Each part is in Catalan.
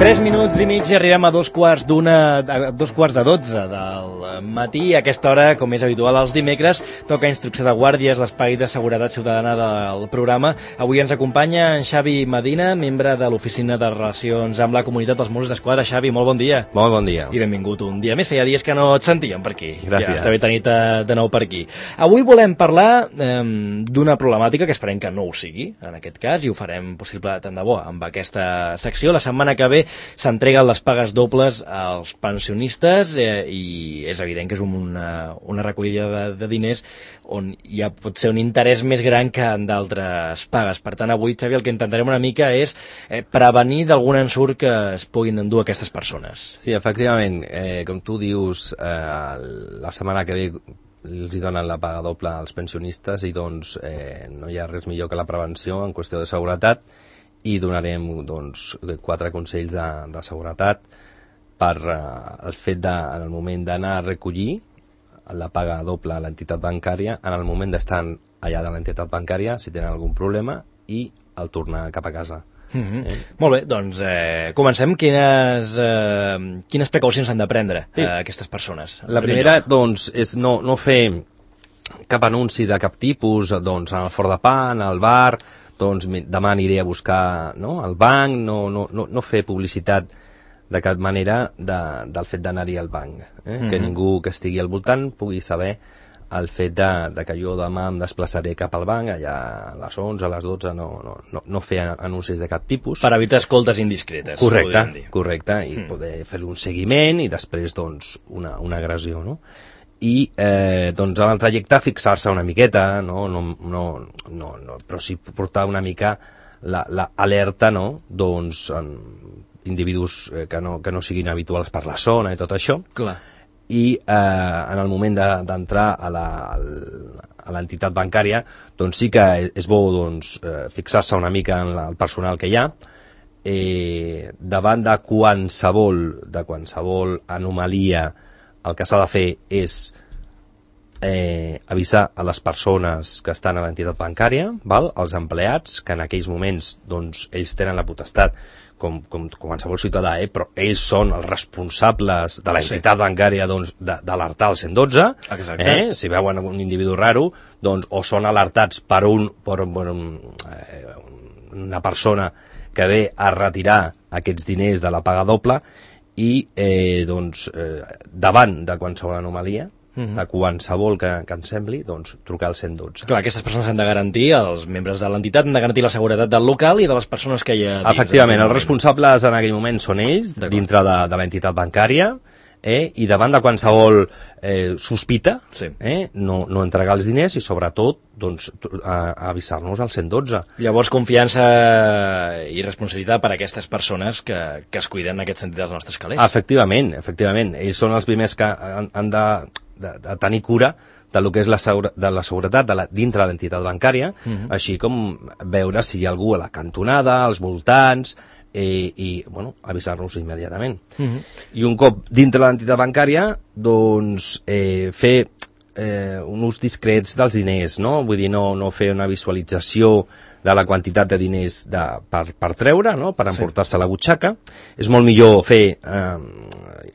3 minuts i mig i arribem a 2:45 del matí. A aquesta hora, com és habitual els dimecres, toca Instrucció de Guàrdies, l'espai de seguretat ciutadana del programa. Avui ens acompanya en Xavi Medina, membre de l'Oficina de Relacions amb la Comunitat dels Mossos d'Esquadra. Xavi, molt bon dia. Molt bon dia. I benvingut un dia més. Feia dies que no et sentíem per aquí. Gràcies. Ja està bé tenir-te de nou per aquí. Avui volem parlar d'una problemàtica que esperem que no ho sigui, en aquest cas, i ho farem possible tant de bo amb aquesta secció. La setmana que ve s'entreguen les pagues dobles als pensionistes i és evident que és una recollida de diners on hi ha pot ser un interès més gran que en d'altres pagues. Per tant, avui, Xavi, el que intentarem una mica és prevenir d'algun ensurt que es puguin endur aquestes persones. Sí, efectivament, com tu dius, la setmana que ve els donen la paga doble als pensionistes i doncs no hi ha res millor que la prevenció en qüestió de seguretat, i donarem doncs 4 consells de seguretat per el fet de, en el moment d'anar a recollir la paga doble a l'entitat bancària, en el moment d'estar allà de l'entitat bancària, si tenen algun problema, i al tornar cap a casa. Molt bé, doncs comencem. Quines precaucions han de prendre aquestes persones? La primera, doncs, és no fer cap anunci de cap tipus, doncs, al Fort de Pa, al bar, doncs demà aniré a buscar al banc, no fer publicitat de cap manera del fet d'anar-hi al banc. Que ningú que estigui al voltant pugui saber el fet de que jo demà em desplaçaré cap al banc, allà a les 11, a les 12, no fer anuncis de cap tipus. Per evitar escoltes indiscretes. Correcte, i poder fer un seguiment i després doncs una agressió, no? I doncs en el trajecte fixar-se una miqueta, però sí portar una mica l'alerta, doncs en individus que no siguin habituals per la zona i tot això. Clar. I en el moment d'entrar a l'entitat bancària, doncs sí que és bo fixar-se una mica en el personal que hi ha, davant de qualsevol anomalia. El que s'ha de fer és avisar a les persones que estan a l'entitat bancària, als empleats, que en aquells moments doncs, ells tenen la potestat, com qualsevol ciutadà, però ells són els responsables de l'entitat bancària d'alertar el 112. Exacte. Si veuen un individu raro, doncs, o són alertats per una persona que ve a retirar aquests diners de la paga doble, i davant de qualsevol anomalia, de qualsevol que ens sembli, doncs trucar al 112. Clar, aquestes persones han de garantir, els membres de l'entitat han de garantir la seguretat del local i de les persones que hi ha dins. Efectivament, els responsables en aquell moment són ells, dintre de l'entitat bancària, i davant de qualsevol sospita, no entregar els diners i sobretot avisar-nos al 112. Llavors, confiança i responsabilitat per a aquestes persones que es cuiden en aquest sentit dels nostres calés. Efectivament, ells són els primers que han de tenir cura de lo que és la seguretat dintre de l'entitat bancària, així com veure si hi ha algú a la cantonada, als voltants, i avisar-nos immediatament. I un cop dintre l'entitat bancària, doncs fer un ús discrets dels diners, vull dir, no fer una visualització de la quantitat de diners per treure, per emportar-se a la butxaca. És molt millor fer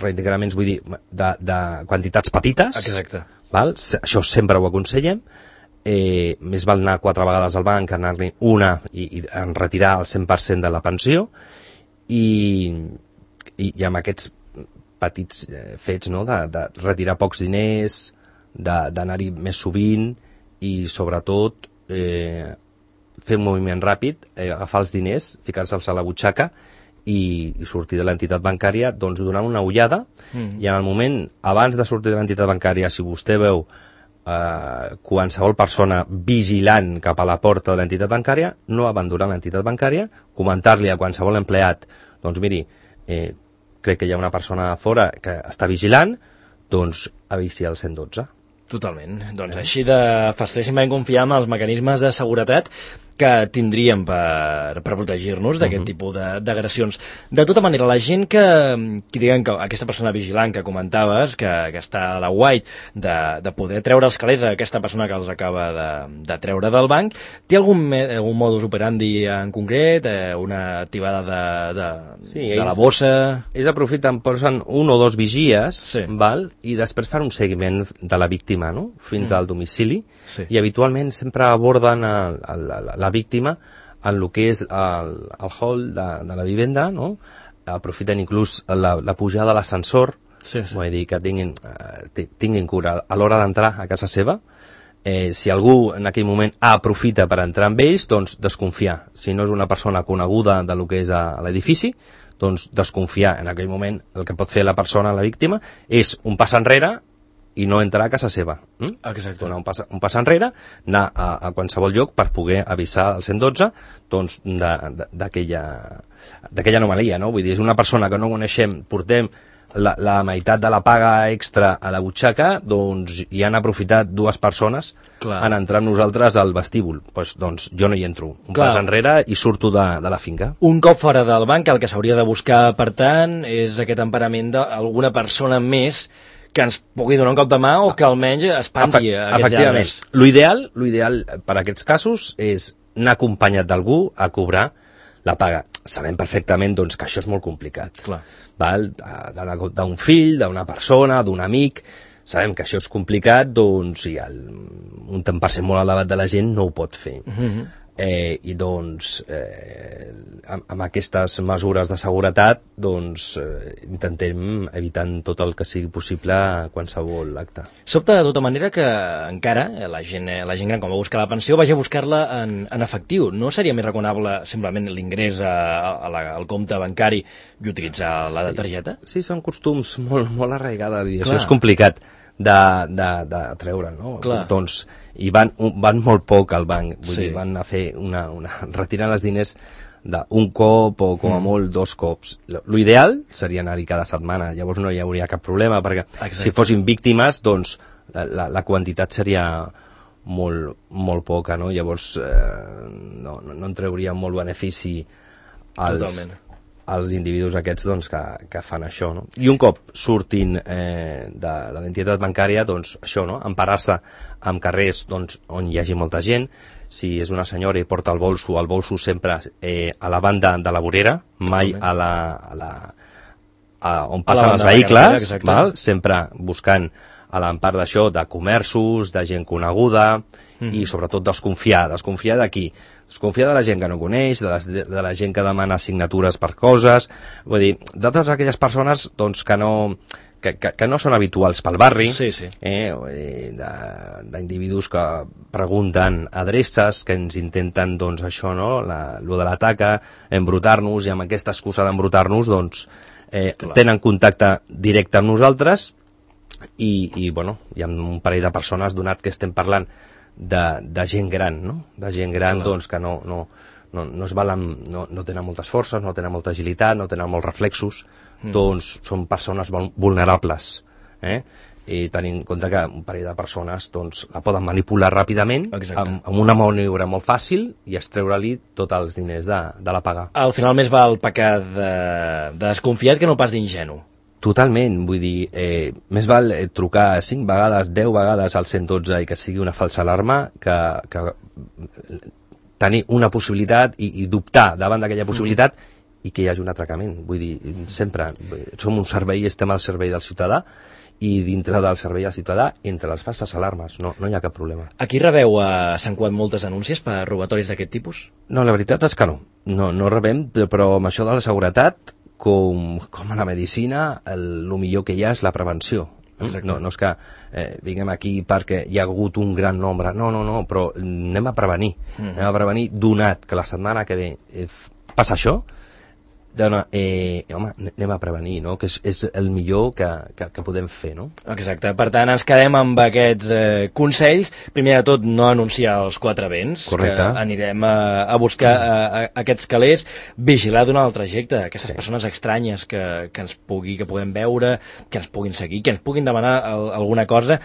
reintegraments, vull dir, de quantitats petites. Exacte. Això sempre ho aconsellem. Més val anar 4 vegades al banc que anar-hi una i retirar el 100% de la pensió, i amb aquests petits fets de retirar pocs diners, d'anar-hi més sovint, i sobretot fer un moviment ràpid, agafar els diners, ficar-se'ls a la butxaca i sortir de l'entitat bancària doncs donant una ullada, i en el moment abans de sortir de l'entitat bancària, si vostè veu qualsevol persona vigilant cap a la porta de l'entitat bancària, no abandonar l'entitat bancària, comentar-li a qualsevol empleat, doncs miri, crec que hi ha una persona a fora que està vigilant, doncs avisi al 112. Totalment. Doncs així de facilíssimament confiar en els mecanismes de seguretat. que tindríem per protegir-nos d'aquest tipus d'agressions. De tota manera, la gent que diguen que aquesta persona vigilant que comentaves, que està a la White, de poder treure els calés a aquesta persona que els acaba de treure del banc, té algun modus operandi en concret, una activada de la bossa? Ells aprofiten, posen un o dos vigies, val? I després fan un seguiment de la víctima, no? Fins al domicili, i habitualment sempre aborden la víctima en el que és el hall de la vivenda, no? Aprofiten inclús la pujada de l'ascensor, vull dir que tinguin cura a l'hora d'entrar a casa seva. Si algú en aquell moment aprofita per entrar amb ells, doncs desconfiar. Si no és una persona coneguda de lo que és a l'edifici, doncs desconfiar. En aquell moment el que pot fer la persona, la víctima, és un pas enrere i no entrar a casa seva. Exacte. Donar un pas enrere, anar a qualsevol lloc per poder avisar al 112 doncs, d'aquella anomalia, no? Vull dir, és una persona que no coneixem, portem la meitat de la paga extra a la butxaca, doncs hi han aprofitat dues persones en entrar amb nosaltres al vestíbul. Doncs jo no hi entro. Un pas enrere i surto de la finca. Un cop fora del banc, el que s'hauria de buscar, per tant, és aquest emparament d'alguna persona més que ens pugui donar un cop de mà o que almenys espanti aquests lladres. L'ideal per a aquests casos és anar acompanyat d'algú a cobrar la paga. Sabem perfectament doncs, que això és molt complicat. Val? D'un fill, d'una persona, d'un amic, sabem que això és complicat, doncs i un tant per cent molt elevat de la gent no ho pot fer. I doncs amb aquestes mesures de seguretat doncs intentem evitar tot el que sigui possible qualsevol acte. Sobta de tota manera que encara la gent gran, quan va buscar la pensió, vagi a buscar-la en efectiu. No seria més recomanable simplement l'ingrés al compte bancari i utilitzar la targeta? Sí, són costums molt arraigades i això és complicat de treure, no? Doncs i van molt poc al banc, vull dir, van a fer retirar els diners d'un cop o com a molt 2 cops. L'ideal seria anar-hi cada setmana, llavors no hi hauria cap problema, perquè si fossin víctimes, doncs la quantitat seria molt poca, no? Llavors no en trauria molt benefici als individus aquests doncs, que fan això, no? I un cop surtin de l'entitat bancària, doncs això, no? Emparar-se en carrers doncs, on hi hagi molta gent. Si és una senyora i porta el bolso sempre a la banda de la vorera, mai on passen els vehicles, sempre buscant a l'empart d'això, de comerços, de gent coneguda, i sobretot desconfiar de qui? Desconfiar de la gent que no coneix, de la gent que demana signatures per coses, vull dir, de totes aquelles persones doncs, que no són habituals pel barri, d'individus que pregunten adreces, que ens intenten, doncs, això, no?, lo de la taca, embrutar-nos, i amb aquesta excusa d'embrutar-nos, doncs, tenen contacte directe amb nosaltres, i bueno, hi ha un parell de persones, donat que estem parlant de gent gran, no? De gent gran, doncs, que no es valen, no tenen moltes forces, no tenen molta agilitat, no tenen molts reflexos, doncs són persones vulnerables, i tenint en compte que un parell de persones doncs, la poden manipular ràpidament amb una maniobra molt fàcil i extreure-li tots els diners de la paga. Al final més val pecar de desconfiat que no pas d'ingenu. Totalment, vull dir, més val trucar 5 vegades, 10 vegades al 112 i que sigui una falsa alarma que tenir una possibilitat i dubtar davant d'aquella possibilitat i que hi hagi un atracament. Vull dir, sempre som un servei, estem al servei del ciutadà, i dintre del servei al ciutadà, entre les falses alarmes, no hi ha cap problema. Aquí rebeu a Sant Cugat moltes denúncies per robatoris d'aquest tipus? No, la veritat és que no rebem, però amb això de la seguretat, com a la medicina, el millor que hi ha és la prevenció. No és que vinguem aquí perquè hi ha hagut un gran nombre, no, però anem a prevenir, donat que la setmana que ve passa això, home, anem a prevenir, no? Que és el millor que podem fer, no? Exacte, per tant ens quedem amb aquests consells. Primer de tot, no anunciar els 4 vents. Correcte. Que anirem a buscar aquests calés, vigilar d'un altre trajecte, aquestes persones estranyes que puguem veure, que ens puguin seguir, que ens puguin demanar alguna cosa.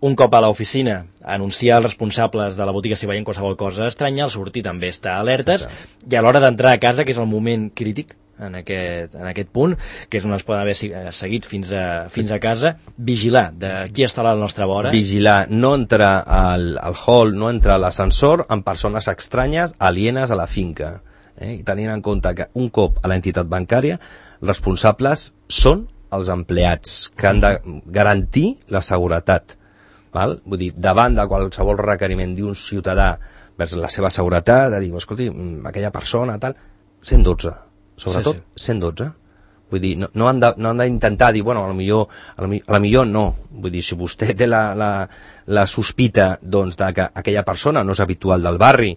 un cop a l'oficina, anunciar als responsables de la botiga si veien qualsevol cosa estranya, al sortir també estar alertes, i a l'hora d'entrar a casa, que és el moment crític, en aquest punt, que és on es poden haver seguit fins a casa, vigilar de qui està a la nostra vora. Vigilar, no entrar al hall, no entrar a l'ascensor amb persones estranyes, alienes a la finca. I tenint en compte que un cop a l'entitat bancària, els responsables són els empleats, que han de garantir la seguretat. Val? Vull dir, davant de qualsevol requeriment d'un ciutadà vers la seva seguretat, de dir, escolti, aquella persona, tal, 112. Sobretot, sí. 112. Vull dir, no han d'intentar dir, bueno, a la millor no. Vull dir, si vostè té la sospita doncs, de que aquella persona no és habitual del barri,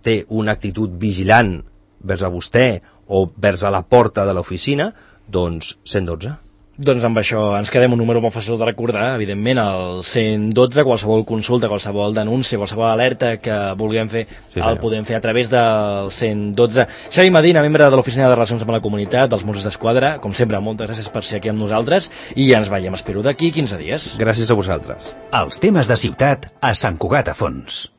té una actitud vigilant vers a vostè o vers a la porta de l'oficina, doncs 112. Doncs amb això ens quedem un número molt fàcil de recordar, evidentment, el 112, qualsevol consulta, qualsevol denúncia, qualsevol alerta que vulguem fer, sí, el podem fer a través del 112. Xavi Medina, membre de l'Oficina de Relacions amb la Comunitat dels Mossos d'Esquadra, com sempre, moltes gràcies per ser aquí amb nosaltres i ens veiem, espero, d'aquí 15 dies. Gràcies a vosaltres. Els temes de ciutat a Sant Cugat a Fons.